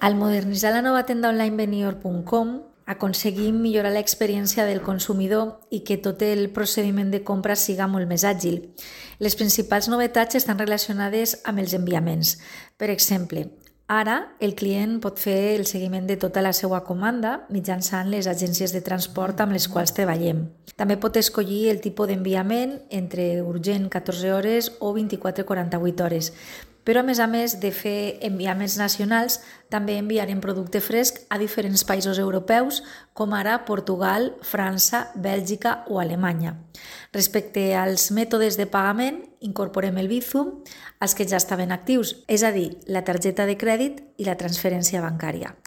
Al modernitzar la nova tenda online Venior.com, aconseguim millorar l'experiència del consumidor i que tot el procediment de compra siga molt més àgil. Les principals novetats estan relacionades amb els enviaments. Per exemple, ara el client pot fer el seguiment de tota la seva comanda mitjançant les agències de transport amb les quals treballem. També pot escollir el tipus d'enviament entre urgent 14 hores o 24-48 hores. Però a més de fer enviaments nacionals, també enviarem producte fresc a diferents països europeus, com ara Portugal, França, Bèlgica o Alemanya. Respecte als mètodes de pagament, incorporem el Bizum, els que ja estaven actius, és a dir, la targeta de crèdit i la transferència bancària.